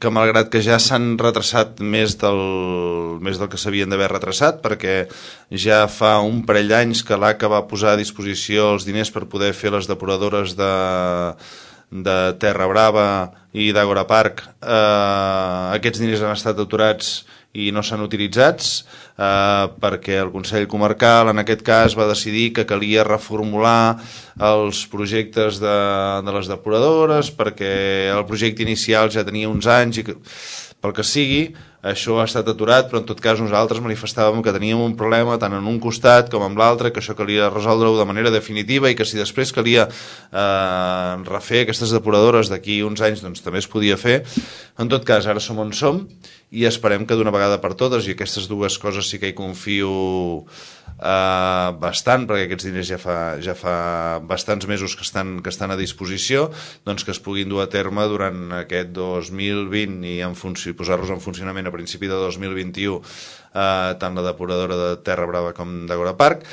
que malgrat que ja s'han retrasat més del que s'havien d'haver retrasat, perquè ja fa un parell d'anys que l'ACA va posar a disposició els diners per poder fer les depuradores de Terra Brava i d'Àgora Park. Aquests diners han estat aturats i no s'han utilitzats perquè el Consell Comarcal en aquest cas va decidir que calia reformular els projectes de les depuradores perquè el projecte inicial ja tenia uns anys i pel que sigui això ha estat aturat, però en tot cas nosaltres manifestàvem que teníem un problema tant en un costat com en l'altre, que això calia resoldre-ho de manera definitiva i que si després calia refer aquestes depuradores d'aquí uns anys doncs també es podia fer. En tot cas, ara som on som i esperem que d'una vegada per totes, i aquestes dues coses sí que hi confio bastant, perquè aquests diners ja fa bastants mesos que estan a disposició, doncs que es puguin dur a terme durant aquest 2020 i posar-los en funcionament a principi de 2021 tant la depuradora de Terra Brava com d'Àgora Park.